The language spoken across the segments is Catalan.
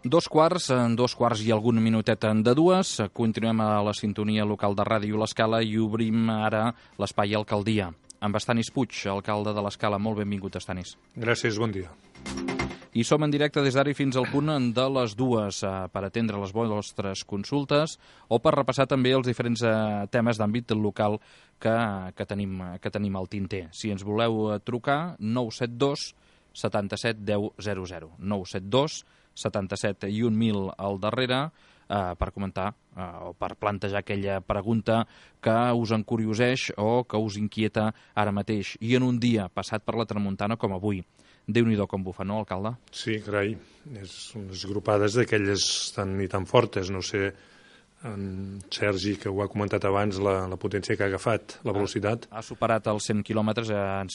Dos quarts i algun minutet de dues. Continuem a la sintonia local de Ràdio L'Escala i obrim ara l'espai Alcaldia. Amb Estanis Puig, alcalde de l'Escala. Molt benvingut, Estanis. Gràcies, bon dia. I som en directe des d'ara i fins al punt de les dues per atendre les vostres consultes o per repassar també els diferents temes d'àmbit local que tenim al tinter. Si ens voleu trucar, 972 77 10 00. 972 77 i 1000 al darrere per comentar o per plantejar aquella pregunta que us encurioseix o que us inquieta ara mateix. I en un dia passat per la tramuntana com avui. Déu-n'hi-do com bufa, no, alcalde? Sí, carai. Són unes grupades d'aquelles tan i tan fortes. No sé, en Sergi, que ho ha comentat abans, la potència que ha agafat, la velocitat. Ha superat els 100 quilòmetres,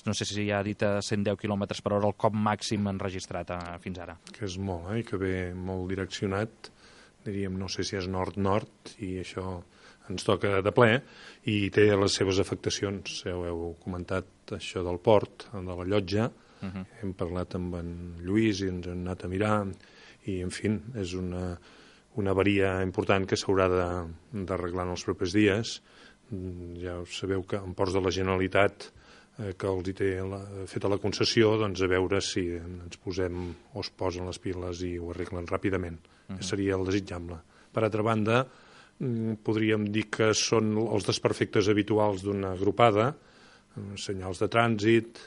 no sé si ja ha dit 110 quilòmetres per hora el cop màxim enregistrat fins ara. Que és molt, i que ve molt direccionat, diríem, no sé si és nord-nord, i això ens toca de ple, i té les seves afectacions. Heu comentat això del port, de la llotja, hem parlat amb en Lluís i ens hem anat a mirar, i, en fi, és una avaria important que s'haurà d'arreglar en els propers dies. Ja sabeu que en ports de la Generalitat, que els hi té feta la concessió, doncs a veure si ens posem o es posen les piles i ho arreglen ràpidament. Que seria el desitjable. Per altra banda, podríem dir que són els desperfectes habituals d'una agrupada, senyals de trànsit.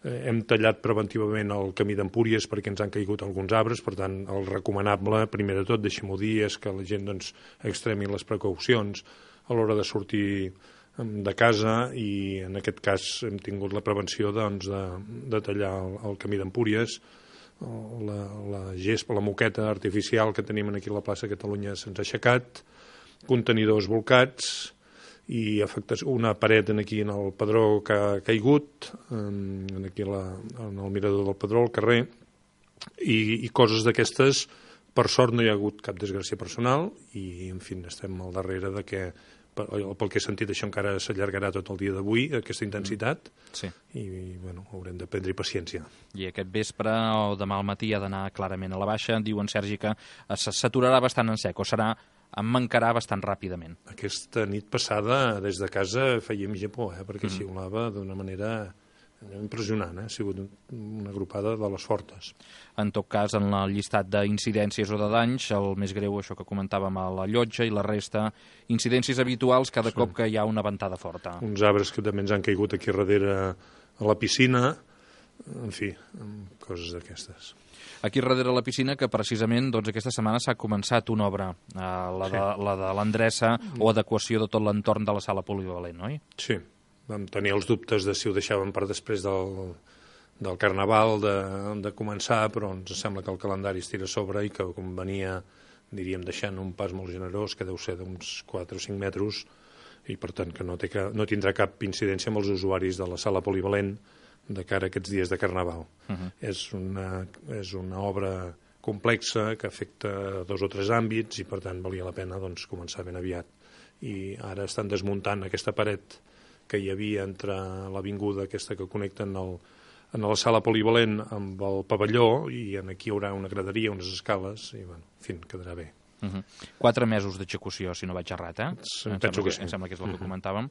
Hem tallat preventivament el camí d'Empúries perquè ens han caigut alguns arbres, per tant, el recomanable, primer de tot, deixem-ho dir, és que la gent extremi les precaucions a l'hora de sortir de casa, i en aquest cas hem tingut la prevenció de tallar el camí d'Empúries. La gespa, la moqueta artificial que tenim aquí a la plaça Catalunya se'ns ha aixecat, contenidors volcats, i una paret aquí en el Pedró que ha caigut, aquí en el mirador del Pedró, al carrer, i coses d'aquestes. Per sort no hi ha hagut cap desgràcia personal i, en fi, estem al darrere de que, pel que he sentit, això encara s'allargarà tot el dia d'avui, aquesta intensitat, sí. I bueno, haurem de prendre paciència. I aquest vespre o demà al matí ha d'anar clarament a la baixa. Diu en Sergi que s'aturarà bastant en sec, o em mancarà bastant ràpidament. Aquesta nit passada, des de casa, fèiem japó, perquè xiulava d'una manera impressionant. Ha sigut una agrupada de les fortes. En tot cas, en el llistat d'incidències o de danys, el més greu, això que comentàvem a la llotja, i la resta, incidències habituals cada cop que hi ha una ventada forta. Uns arbres que també ens han caigut aquí darrere a la piscina, en fi, coses d'aquestes. Aquí darrere la piscina, que precisament aquesta setmana s'ha començat una obra, la de l'endreça o adequació de tot l'entorn de la sala polivalent, oi? Sí, vam tenir els dubtes de si ho deixàvem per després del Carnaval de començar, però ens sembla que el calendari es tira a sobre i que convenia, diríem, deixant un pas molt generós, que deu ser d'uns 4 o 5 metres, i per tant que no tindrà cap incidència amb els usuaris de la sala polivalent de cara a aquests dies de Carnaval. És una obra complexa que afecta 2 o 3 àmbits i, per tant, valia la pena començar ben aviat. I ara estan desmuntant aquesta paret que hi havia entre l'avinguda aquesta que connecta en la sala polivalent amb el pavelló, i aquí hi haurà una graderia, unes escales, i, en fi, quedarà bé. 4 mesos d'execució, si no vaig errat, Penso que sí. Em sembla que és el que comentàvem.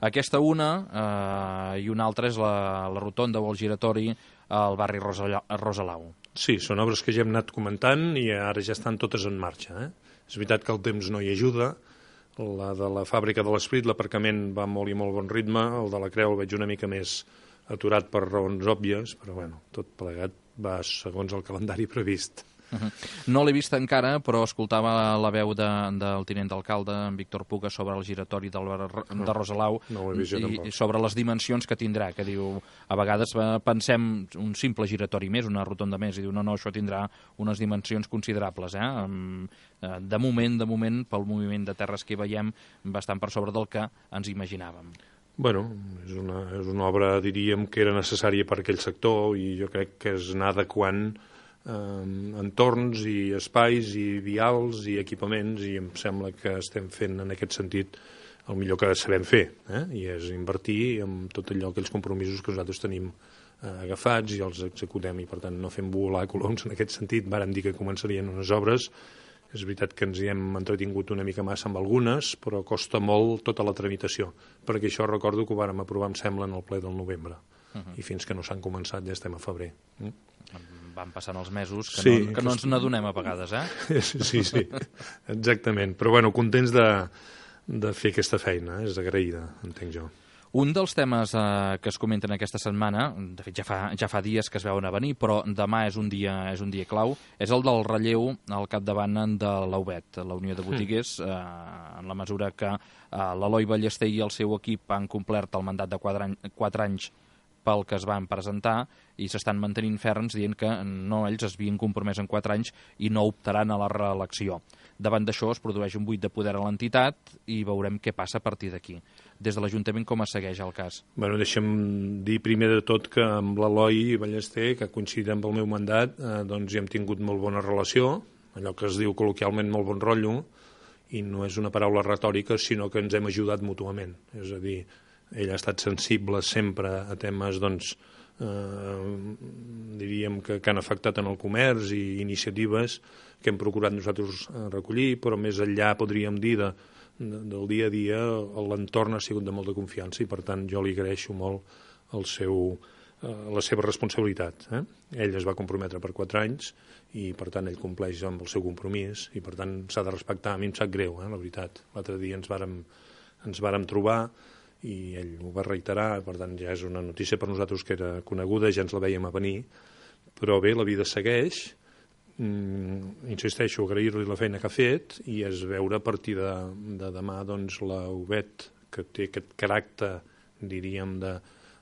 Aquesta i una altra és la rotonda o el giratori al barri Rosalau. Sí, són obres que ja hem anat comentant i ara ja estan totes en marxa. És veritat que el temps no hi ajuda. La de la fàbrica de l'Esprit, l'aparcament va molt i molt bon ritme. El de la Creu el veig una mica més aturat per raons òbvies, però tot plegat va segons el calendari previst. No l'he vist encara, però escoltava la veu del tinent d'alcalde, en Víctor Puga, sobre el giratori de Rosalau i sobre les dimensions que tindrà, que diu, a vegades pensem un simple giratori més, una rotonda més, i diu, no, això tindrà unes dimensions considerables, de moment, pel moviment de terres que hi veiem, bastant per sobre del que ens imaginàvem. Bueno, és una obra, diríem, que era necessària per aquell sector, i jo crec que és anar adequant entorns i espais i vials i equipaments, i em sembla que estem fent en aquest sentit el millor que sabem fer, i és invertir en tot allò, aquells compromisos que nosaltres tenim agafats i els executem, i per tant no fem volar coloms en aquest sentit. Vàrem dir que començarien unes obres. És veritat que ens hi hem entretingut una mica massa amb algunes, però costa molt tota la tramitació, perquè això recordo que ho vàrem aprovar, em sembla, en el ple del novembre, i fins que no s'han començat ja estem a febrer. Van passant els mesos, que no ens n'adonem a vegades, Sí, exactament. Però bueno, contents de fer aquesta feina, és agraïda, entenc jo. Un dels temes que es comenten aquesta setmana, de fet ja fa dies que es veuen a venir, però demà és un dia clau, és el del relleu al capdavant de la UBET, la Unió de Botiguers, en la mesura que l'Eloi Ballester i el seu equip han complert el mandat de 4 anys pel que es van presentar i s'estan mantenint ferms dient que no, ells es havien compromès en 4 anys i no optaran a la reelecció. Davant d'això es produeix un buit de poder a l'entitat i veurem què passa a partir d'aquí. Des de l'Ajuntament com es segueix el cas? Bueno, deixa'm dir primer de tot que amb l'Eloi Ballester, que coincidit amb el meu mandat, doncs hi hem tingut molt bona relació, allò que es diu col·loquialment molt bon rotllo, i no és una paraula retòrica, sinó que ens hem ajudat mútuament. És a dir, ell ha estat sensible sempre a temes, doncs, diríem que han afectat en el comerç i iniciatives que hem procurat nosaltres recollir, però més enllà, podríem dir, del dia a dia, l'entorn ha sigut de molta confiança i, per tant, jo li agraeixo molt la seva responsabilitat. Ell es va comprometre per 4 anys i, per tant, ell compleix amb el seu compromís i, per tant, s'ha de respectar. A mi em sap greu, la veritat. L'altre dia ens vàrem trobar i ell ho va reiterar, per tant ja és una notícia per nosaltres que era coneguda, ja ens la vèiem a venir, però bé, la vida segueix, insisteixo, agrair-li la feina que ha fet i es veure a partir de demà doncs, la UBET, que té aquest caràcter, diríem,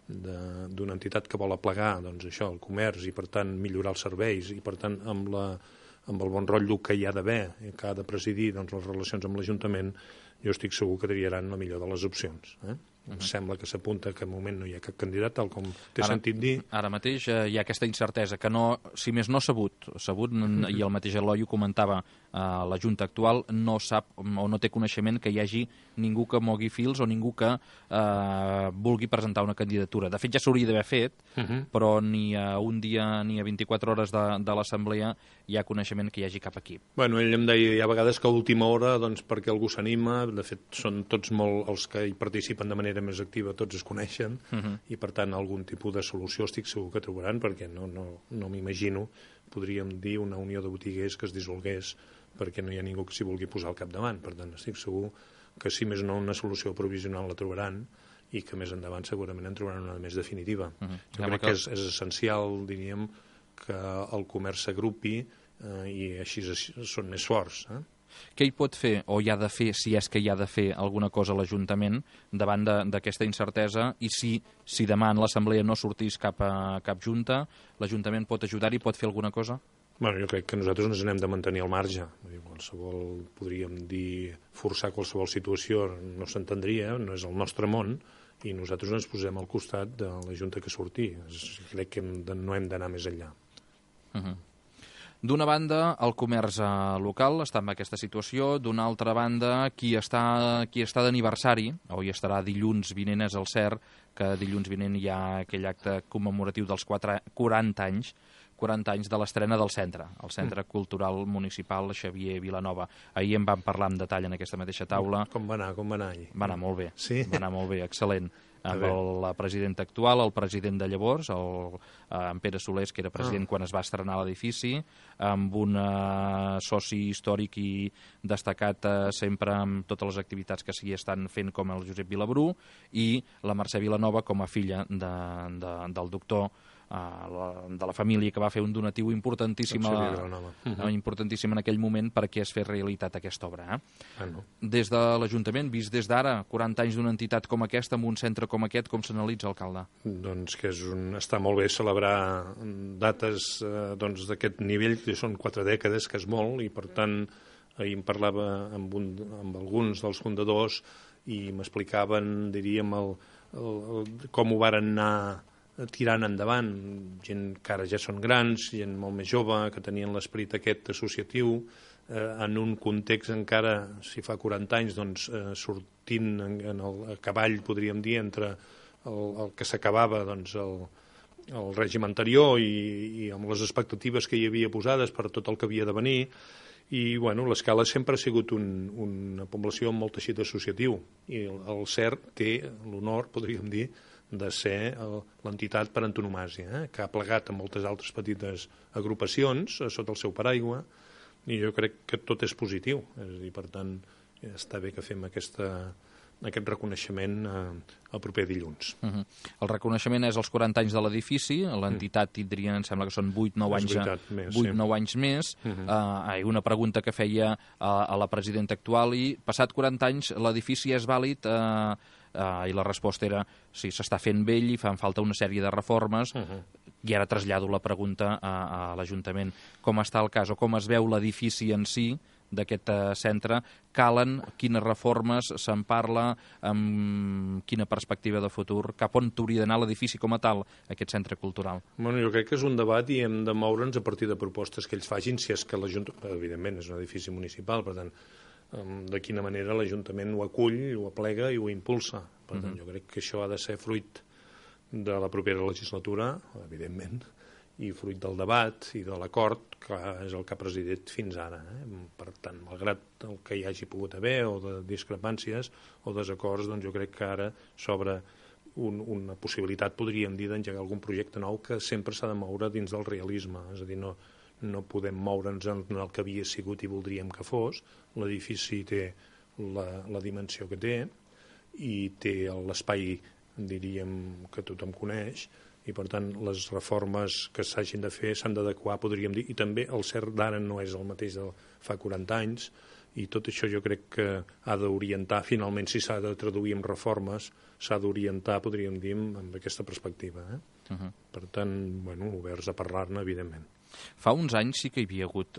d'una entitat que vol aplegar doncs, això, el comerç i per tant millorar els serveis i per tant amb el bon rotllo que hi ha d'haver, que ha de presidir doncs, les relacions amb l'Ajuntament, jo estic segur que triaran la millor de les opcions. Em sembla que s'apunta que al moment no hi ha cap candidat, tal com t'he sentit dir. Ara mateix hi ha aquesta incertesa, que no, si més no sabut, i el mateix Eloi ho comentava, la Junta actual no sap o no té coneixement que hi hagi ningú que mogui fils o ningú que vulgui presentar una candidatura. De fet, ja s'hauria d'haver fet, però ni a un dia ni a 24 hores de l'assemblea hi ha coneixement que hi hagi cap equip. Bueno, ell em deia, hi ha vegades que a última hora, doncs, perquè algú s'anima, de fet, són tots molt els que hi participen de manera més activa, tots es coneixen, i per tant algun tipus de solució estic segur que trobaran, perquè no m'imagino, podríem dir, una unió de botiguers que es dissolgués perquè no hi ha ningú que s'hi vulgui posar al capdavant. Per tant, estic segur que si més no una solució provisional la trobaran i que més endavant segurament en trobaran una més definitiva. Jo crec que és essencial, diríem, que el comerç s'agrupi i així són més forts. Què hi pot fer o hi ha de fer, si és que hi ha de fer alguna cosa a l'Ajuntament davant d'aquesta incertesa i si demà en l'Assemblea no sortís cap junta, l'Ajuntament pot ajudar-hi, pot fer alguna cosa? Bueno, jo crec que nosaltres ens n'hem de mantenir al marge. Qualsevol, podríem dir, forçar qualsevol situació no s'entendria, no és el nostre món, i nosaltres ens posem al costat de la Junta que surti. Crec que no hem d'anar més enllà. D'una banda, el comerç local està en aquesta situació, d'una altra banda, qui està d'aniversari, o hi estarà dilluns vinent, és el cert, que dilluns vinent hi ha aquell acte commemoratiu dels 40 anys de l'estrena del centre, el Centre Cultural Municipal Xavier Vilanova. Ahir en vam parlar en detall en aquesta mateixa taula. Com va anar allí? Va anar molt bé, sí? Va anar molt bé, excel·lent. Amb la presidenta actual, el president de llavors, en Pere Solés, que era president quan es va estrenar l'edifici, amb un soci històric i destacat sempre amb totes les activitats que s'hi estan fent, com el Josep Vilabrú, i la Mercè Vilanova com a filla del doctor de la família, que va fer un donatiu importantíssim en aquell moment perquè es fes realitat aquesta obra. Des de l'Ajuntament, vist des d'ara, 40 anys d'una entitat com aquesta, amb un centre com aquest, com s'analitza, alcalde? Doncs que està molt bé celebrar dates d'aquest nivell, que són 4 dècades, que és molt, i per tant ahir em parlava amb alguns dels fundadors i m'explicaven, diríem, com ho varen anar tirant endavant, gent que ara ja són grans, gent molt més jove, que tenien l'esperit aquest associatiu, en un context encara, si fa 40 anys, doncs, sortint a cavall, podríem dir, entre el que s'acabava, doncs, el règim anterior i amb les expectatives que hi havia posades per tot el que havia de venir. I bueno, l'Escala sempre ha sigut una població amb molt teixit associatiu i el CERT té l'honor, podríem dir, de ser l'entitat per antonomàsia, que ha plegat amb moltes altres petites agrupacions sota el seu paraigua, i jo crec que tot és positiu. És a dir, per tant, està bé que fem aquest reconeixement el proper dilluns. El reconeixement és als 40 anys de l'edifici, l'entitat tindria, em sembla que són 8-9 anys més. Una pregunta que feia a la presidenta actual, i passat 40 anys l'edifici és vàlid? I la resposta era sí, s'està fent vell i fan falta una sèrie de reformes. I ara trasllado la pregunta a l'Ajuntament. Com està el cas o com es veu l'edifici en si d'aquest centre? Calen? Quines reformes se'n parla? Amb quina perspectiva de futur? Cap on hauria d'anar l'edifici com a tal, aquest centre cultural? Bueno, jo crec que és un debat i hem de moure'ns a partir de propostes que ells facin, si és que l'Ajuntament, evidentment, és un edifici municipal, per tant, de quina manera l'Ajuntament ho acull, ho aplega i ho impulsa. Per tant, jo crec que això ha de ser fruit de la propera legislatura, evidentment, i fruit del debat i de l'acord que és el que ha presidit fins ara. Per tant, malgrat el que hi hagi pogut haver o de discrepàncies o desacords, doncs jo crec que ara s'obre una possibilitat, podríem dir, d'engegar algun projecte nou que sempre s'ha de moure dins del realisme. És a dir, no podem moure'ns en el que havia sigut i voldríem que fos. L'edifici té la dimensió que té i té l'espai, diríem, que tothom coneix, i per tant les reformes que s'hagin de fer s'han d'adequar, podríem dir, i també el CERT d'ara no és el mateix de fa 40 anys, i tot això jo crec que ha d'orientar, finalment, si s'ha de traduir en reformes, s'ha d'orientar, podríem dir, amb aquesta perspectiva. Per tant, bueno, oberts a parlar-ne, evidentment. Fa uns anys sí que hi havia hagut,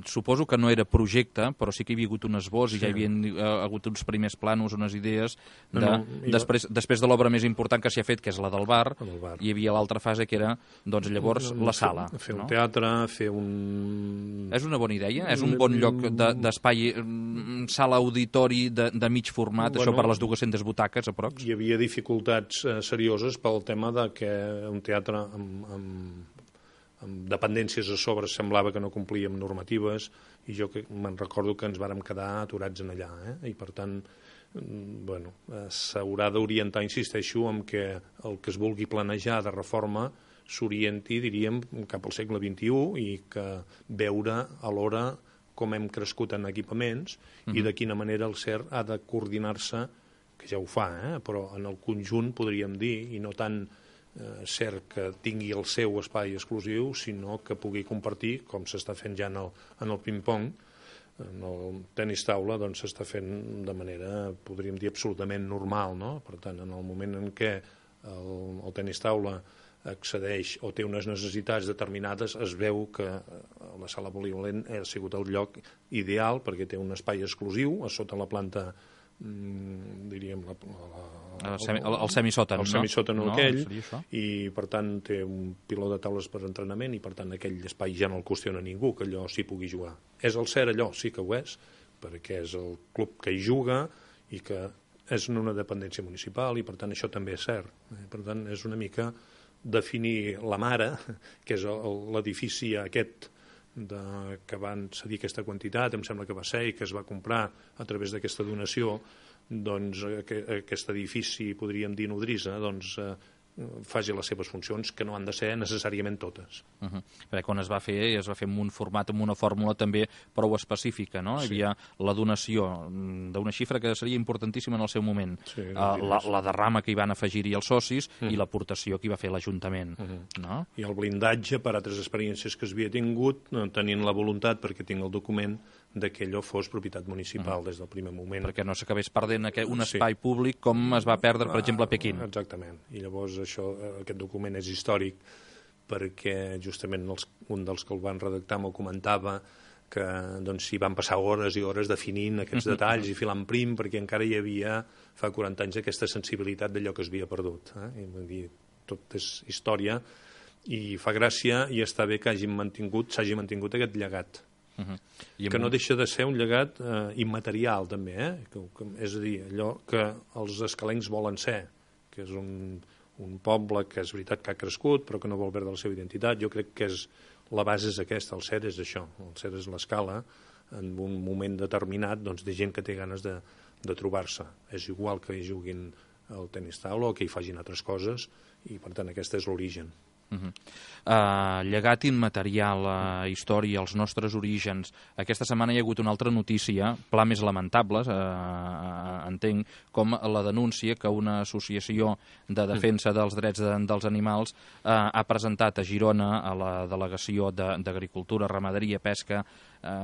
suposo que no era projecte, però sí que hi havia hagut un esbós i ja hi havia hagut uns primers plànols, unes idees. Després de l'obra més important que s'hi ha fet, que és la del bar, hi havia l'altra fase que era, doncs llavors, la sala. Fer un teatre, fer un... És una bona idea? És un bon lloc d'espai, sala auditori de mig format, això per les 200 butaques, aprox? Hi havia dificultats serioses pel tema de que un teatre amb dependències a sobre semblava que no complia amb normatives, i jo me'n recordo que ens vàrem quedar aturats en allà, i per tant, bueno, s'haurà d'orientar, insisteixo, en que el que es vulgui planejar de reforma s'orienti, diríem, cap al segle XXI i que veure alhora com hem crescut en equipaments i de quina manera el CERT ha de coordinar-se, que ja ho fa, però en el conjunt, podríem dir, i no tant CERT que tingui el seu espai exclusiu, sinó que pugui compartir, com s'està fent ja en el ping-pong, en el tenis taula, doncs s'està fent de manera, podríem dir, absolutament normal, no? Per tant, en el moment en què el tenis taula accedeix o té unes necessitats determinades, es veu que la sala polivalent ha sigut el lloc ideal perquè té un espai exclusiu a sota la planta, diríem, el semisòtan, el semisòtan aquell, i per tant té un piló de taules per entrenament i per tant aquell espai ja no el qüestiona ningú que allò s'hi pugui jugar. És el CERT allò? Sí que ho és, perquè és el club que hi juga i que és en una dependència municipal i per tant això també és cert. Per tant és una mica definir la mare, que és l'edifici aquest que van cedir aquesta quantitat, em sembla que va ser, i que es va comprar a través d'aquesta donació, doncs aquest edifici, podríem dir nodrissa, doncs faci les seves funcions, que no han de ser necessàriament totes. Perquè quan es va fer amb un format, amb una fórmula també prou específica, no? Hi havia la donació d'una xifra que seria importantíssima en el seu moment, la derrama que hi van afegir-hi els socis i l'aportació que hi va fer l'Ajuntament. I el blindatge per altres experiències que es havia tingut, tenint la voluntat, perquè tinc el document, que allò fos propietat municipal des del primer moment. Perquè no s'acabés perdent un espai públic com es va perdre, per exemple, a Pequín. Exactament. I llavors aquest document és històric perquè justament un dels que el van redactar m'ho comentava que s'hi van passar hores i hores definint aquests detalls i filant prim perquè encara hi havia fa 40 anys aquesta sensibilitat d'allò que es havia perdut. Tot és història i fa gràcia i està bé que s'hagi mantingut aquest llegat. Que no deixa de ser un llegat immaterial també, és a dir, allò que els escalencs volen ser, que és un un poble que és veritat que ha crescut però que no vol perdre la seva identitat. Jo crec que la base és aquesta, el CER és això, el CER és l'escala en un moment determinat doncs, de gent que té ganes de trobar-se. És igual que hi juguin al tenis taula o que hi facin altres coses i per tant aquest és l'origen. Llegat immaterial, història, els nostres orígens. Aquesta setmana hi ha hagut una altra notícia, pla més lamentable, entenc, com la denúncia que una associació de defensa dels drets dels animals ha presentat a Girona, a la delegació d'Agricultura, Ramaderia, Pesca,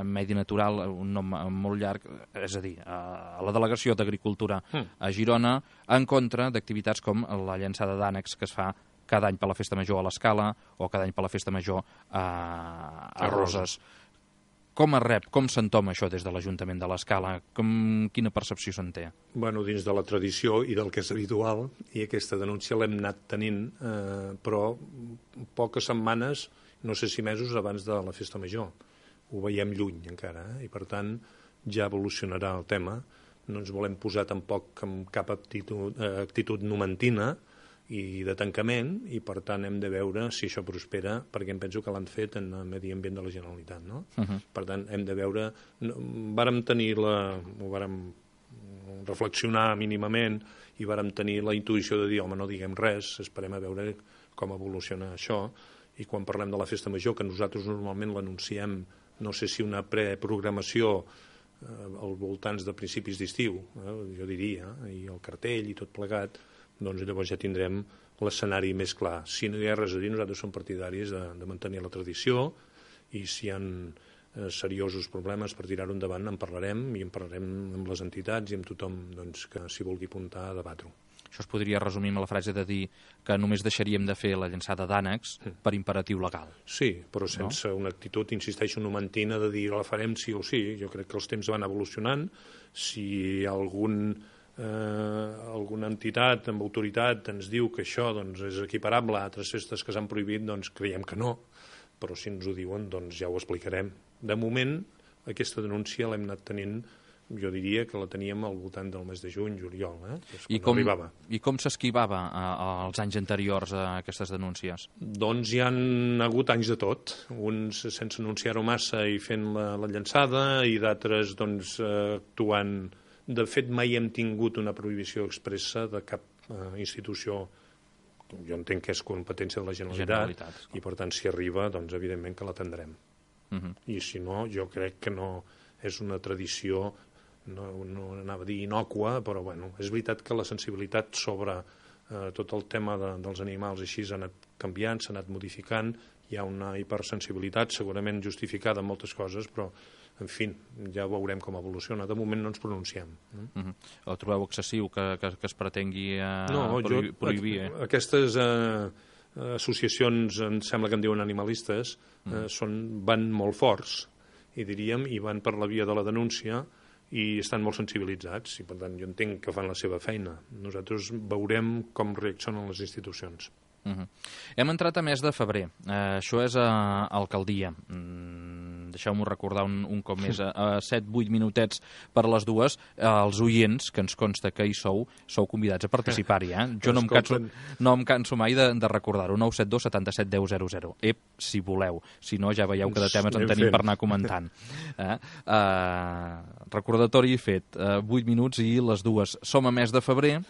Medi Natural, un nom molt llarg, és a dir, a la delegació d'Agricultura a Girona, en contra d'activitats com la llançada d'ànecs que es fa cada any per la Festa Major a l'Escala o cada any per la Festa Major a Roses. Com es rep, com s'entoma això des de l'Ajuntament de l'Escala? Quina percepció se'n té? Bueno, dins de la tradició i del que és habitual, i aquesta denúncia l'hem anat tenint, però poques setmanes, no sé si mesos abans de la Festa Major. Ho veiem lluny encara, i per tant ja evolucionarà el tema. No ens volem posar tampoc amb cap actitud numentina i de tancament, i per tant hem de veure si això prospera, perquè em penso que l'han fet en el Medi Ambient de la Generalitat, no? Per tant, hem de veure... Vàrem reflexionar mínimament i vàrem tenir la intuïció de dir, home, no diguem res, esperem a veure com evoluciona això, i quan parlem de la Festa Major, que nosaltres normalment l'anunciem, no sé si una preprogramació als voltants de principis d'estiu, jo diria, i el cartell i tot plegat, doncs llavors ja tindrem l'escenari més clar. Si no hi ha res a dir, nosaltres som partidaris de mantenir la tradició, i si hi ha seriosos problemes per tirar-ho endavant en parlarem, i en parlarem amb les entitats i amb tothom doncs, que s'hi vulgui apuntar a debat-ho. Això es podria resumir amb la frase de dir que només deixaríem de fer la llançada d'ànecs per imperatiu legal. Sí, però sense una actitud, insisteixo, numentina de dir la farem sí o sí. Jo crec que els temps van evolucionant. Si alguna entitat amb autoritat ens diu que això doncs, és equiparable a altres festes que s'han prohibit, doncs creiem que no, però si ens ho diuen doncs ja ho explicarem. De moment, aquesta denúncia l'hem anat tenint, jo diria que la teníem al voltant del mes de juny, juliol, I com s'esquivava als anys anteriors a aquestes denúncies? Doncs hi han hagut anys de tot, uns sense anunciar-ho massa i fent la llançada, i d'altres doncs, actuant. De fet, mai hem tingut una prohibició expressa de cap institució. Jo entenc que és competència de la Generalitat. I per tant, si arriba, doncs evidentment que l'atendrem. I si no, jo crec que no és una tradició, no anava a dir innòcua, però bueno, és veritat que la sensibilitat sobre tot el tema dels animals així s'ha anat canviant, s'ha anat modificant, hi ha una hipersensibilitat segurament justificada en moltes coses, però en fi, ja veurem com evoluciona. De moment no ens pronunciem. O trobeu excessiu que es pretengui prohibir? Aquestes associacions, em sembla que en diuen animalistes, van molt forts, i diríem, i van per la via de la denúncia, i estan molt sensibilitzats, i per tant jo entenc que fan la seva feina. Nosaltres veurem com reaccionen les institucions. Hem entrat a mes de febrer. Això és alcaldia. Deixeu-m'ho recordar un cop més. A 7-8 minutets per les dues, els oients, que ens consta que hi sou convidats a participar-hi. Jo no em canso mai de recordar-ho. 972 77 10 00. Si voleu. Si no, ja veieu que de temes en tenim per anar comentant. Recordatori fet. 8 minuts i les dues. Som a mes de febrer.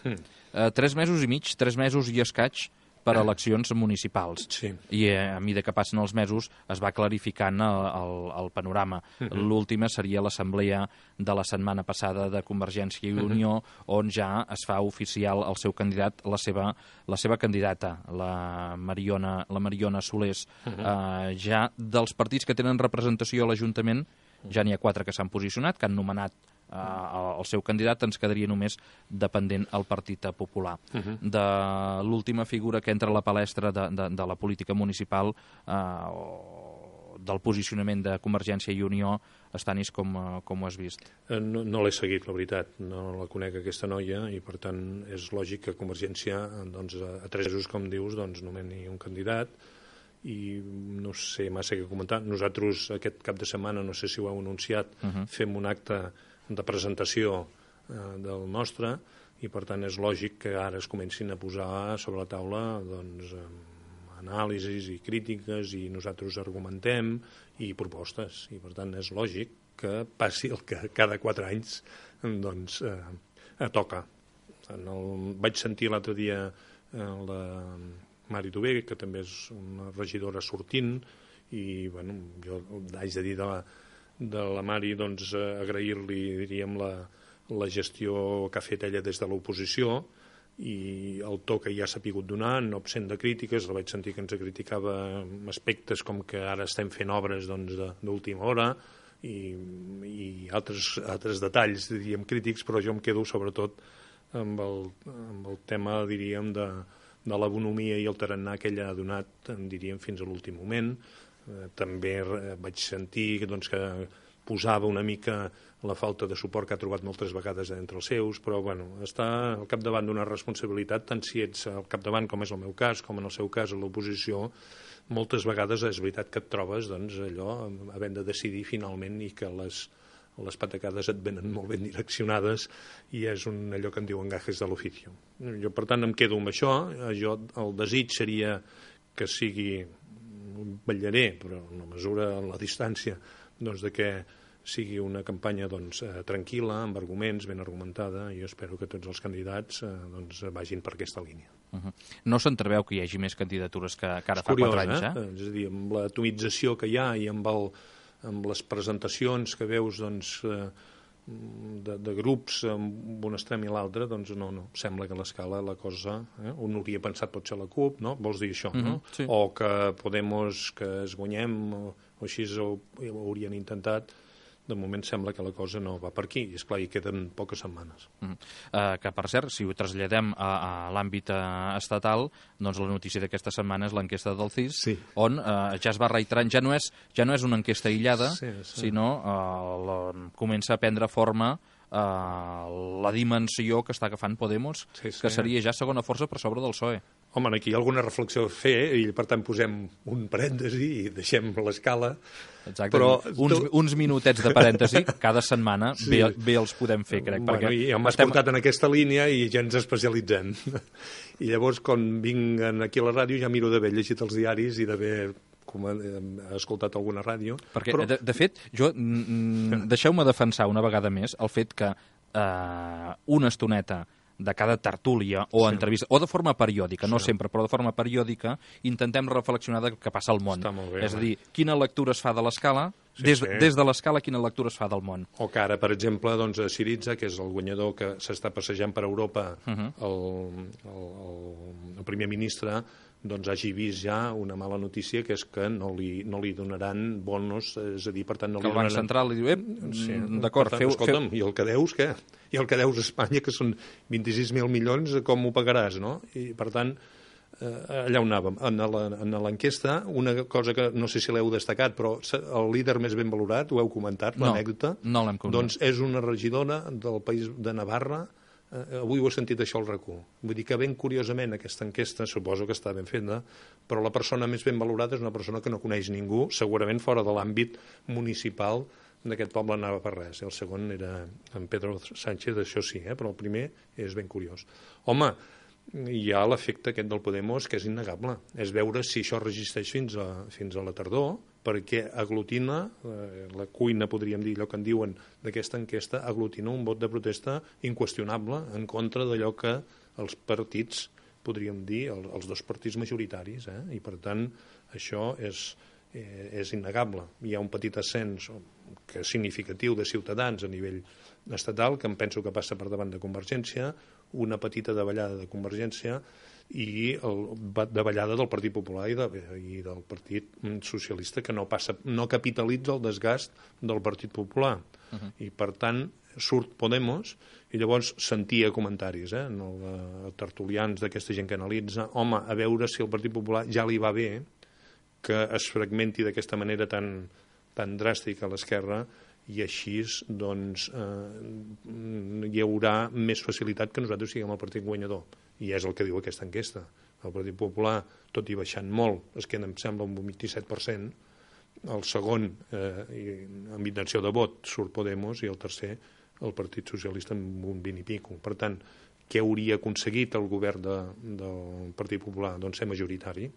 3 mesos i mig, 3 mesos i escaig per a eleccions municipals. Sí. I a mesura que passen els mesos es va clarificant el panorama. L'última seria l'assemblea de la setmana passada de Convergència i Unió, on ja es fa oficial el seu candidat, la seva candidata, la Mariona Solés. Ja dels partits que tenen representació a l'Ajuntament, ja n'hi ha 4 que s'han posicionat, que han nomenat el seu candidat. Ens quedaria només dependent el Partit Popular. De l'última figura que entra a la palestra de la política municipal, del posicionament de Convergència i Unió, Estanis, com ho has vist? No l'he seguit, la veritat. No la conec, aquesta noia, i per tant és lògic que Convergència, doncs, a 3 mesos, com dius, doncs, nomeni un candidat, i no sé massa què comentar. Nosaltres aquest cap de setmana, no sé si ho heu anunciat, fem un acte de presentació del nostre, i per tant és lògic que ara es comencin a posar sobre la taula anàlisis i crítiques i nosaltres argumentem i propostes, i per tant és lògic que passi el que cada 4 anys doncs toca. Vaig sentir l'altre dia la Mari Tové, que també és una regidora sortint, i bueno, jo haig de dir de la Mari doncs agrair-li, diríem, la gestió que ha fet ella des de l'oposició i el to que ja s'ha pogut donar, no absent de crítiques. La vaig sentir que ens criticava aspectes com que ara estem fent obres d'última hora i altres detalls, diríem, crítics, però jo em quedo sobretot amb el tema, diríem, de la bonomia i el tarannà que ella ha donat, diríem, fins a l'últim moment. També vaig sentir doncs, que posava una mica la falta de suport que ha trobat moltes vegades entre els seus, però bueno, està al capdavant d'una responsabilitat, tant si ets al capdavant, com és el meu cas, com en el seu cas a l'oposició, moltes vegades és veritat que et trobes doncs, allò havent de decidir finalment i que les patacades et venen molt ben direccionades i és allò que en diuen gajes de l'oficio. Jo, per tant, em quedo amb això. El desig seria que sigui, vetllaré, però en la mesura, en la distància, doncs, de que sigui una campanya doncs, tranquil·la, amb arguments, ben argumentada, i jo espero que tots els candidats doncs, vagin per aquesta línia. No s'entreveu que hi hagi més candidatures que ara fa 4 anys, És a dir, amb l'atomització que hi ha i amb les presentacions que veus doncs, de grups amb un extrem i l'altre, doncs no, sembla que a l'escala la cosa, un hauria pensat potser la CUP, no? Vols dir això, no? Sí. O que Podemos, que es guanyem, o així ho haurien intentat. De moment sembla que la cosa no va per aquí, i esclar, hi queden poques setmanes. Que, per cert, si ho traslladem a l'àmbit estatal, doncs la notícia d'aquesta setmana és l'enquesta del CIS, sí, on ja es va reiterant, ja no és una enquesta aïllada, sí. sinó comença a prendre forma la dimensió que està agafant Podemos, sí. que seria ja segona força per sobre del PSOE. Home, aquí hi ha alguna reflexió a fer i per tant posem un parèntesi i deixem l'escala. Exacte, però uns minutets de parèntesi cada setmana sí. bé els podem fer, crec. Bueno, i m'has portat en aquesta línia i ja ens especialitzem. I llavors, quan vinc aquí a la ràdio, ja miro d'haver llegit els diaris i d'haver escoltat alguna ràdio. Perquè, però... de fet, deixeu-me defensar una vegada més el fet que una estoneta de cada tertúlia o entrevista, o de forma periòdica, no sempre, però de forma periòdica, intentem reflexionar del que passa al món. És a dir, quina lectura es fa de l'escala, des de l'escala quina lectura es fa del món. O que ara, per exemple, doncs, Syriza, que és el guanyador que s'està passejant per Europa, el primer ministre, doncs hagi vist ja una mala notícia, que és que no li donaran bonos, és a dir, per tant, no li donaran... Que el Banc Central li diu, d'acord, escolta'm, i el que deus, què? I el que deus a Espanya, que són 26.000 milions, com ho pagaràs, no? I, per tant, allà on anàvem. En l'enquesta, una cosa que no sé si l'heu destacat, però el líder més ben valorat, ho heu comentat, l'anècdota, no l'hem comentat. Doncs és una regidora del país de Navarra. Avui ho he sentit això al RAC1. Vull dir que ben curiosament aquesta enquesta, suposo que està ben feta, però la persona més ben valorada és una persona que no coneix ningú, segurament fora de l'àmbit municipal d'aquest poble navarrès. El segon era en Pedro Sánchez, això sí, però el primer és ben curiós. Home, hi ha l'efecte aquest del Podemos que és innegable. És veure si això resisteix fins a la tardor, perquè aglutina, la cuina, podríem dir, allò que en diuen d'aquesta enquesta, aglutina un vot de protesta inqüestionable en contra d'allò que els partits, podríem dir, els dos partits majoritaris, i per tant això és innegable. Hi ha un petit ascens que és significatiu de Ciutadans a nivell estatal, que em penso que passa per davant de Convergència, una petita davallada de Convergència i davallada del Partit Popular i del Partit Socialista, que no capitalitza el desgast del Partit Popular. I per tant surt Podemos i llavors sentia comentaris tertulians d'aquesta gent que analitza, home, a veure si el Partit Popular ja li va bé que es fragmenti d'aquesta manera tan dràstica a l'esquerra, i així doncs hi haurà més facilitat que nosaltres siguem el partit guanyador, i és el que diu aquesta enquesta. El Partit Popular, tot i baixant molt, es queda, em sembla, un 27%, el segon amb intenció de vot surt Podemos i el tercer el Partit Socialista amb un 20 i pico. Per tant, què hauria aconseguit el govern del Partit Popular? Doncs ser majoritari,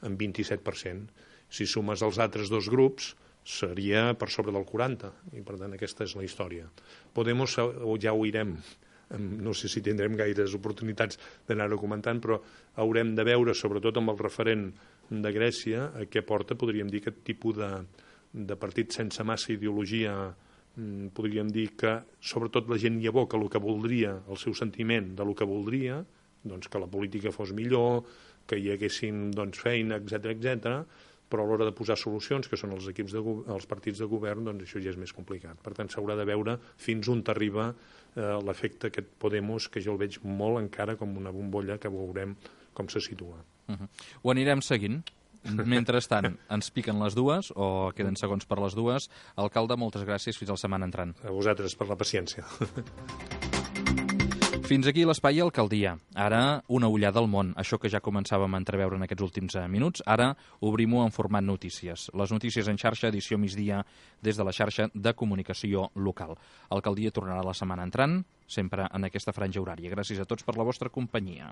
amb 27%. Si sumes els altres dos grups, seria per sobre del 40%, i per tant aquesta és la història. Podemos, ja ho irem, no sé si tindrem gaires oportunitats d'anar-ho comentant, però haurem de veure, sobretot amb el referent de Grècia, a què porta, podríem dir, aquest tipus de partit sense massa ideologia. Podríem dir que sobretot la gent hi aboca el que voldria, el seu sentiment de lo que voldria, doncs que la política fos millor, que hi haguessin feina, etc, però a l'hora de posar solucions, que són els partits de govern, doncs això ja és més complicat. Per tant, s'haurà de veure fins on t'arriba l'efecte aquest Podemos, que jo el veig molt encara com una bombolla, que veurem com se situa. Ho anirem seguint. Mentrestant, ens piquen les dues, o queden segons per les dues. Alcalde, moltes gràcies, fins la setmana entrant. A vosaltres per la paciència. Fins aquí l'espai Alcaldia. Ara, una ullada al món. Això que ja començàvem a entreveure en aquests últims minuts, ara obrim-ho en format notícies. Les notícies en xarxa, edició migdia, des de la xarxa de comunicació local. Alcaldia tornarà la setmana entrant, sempre en aquesta franja horària. Gràcies a tots per la vostra companyia.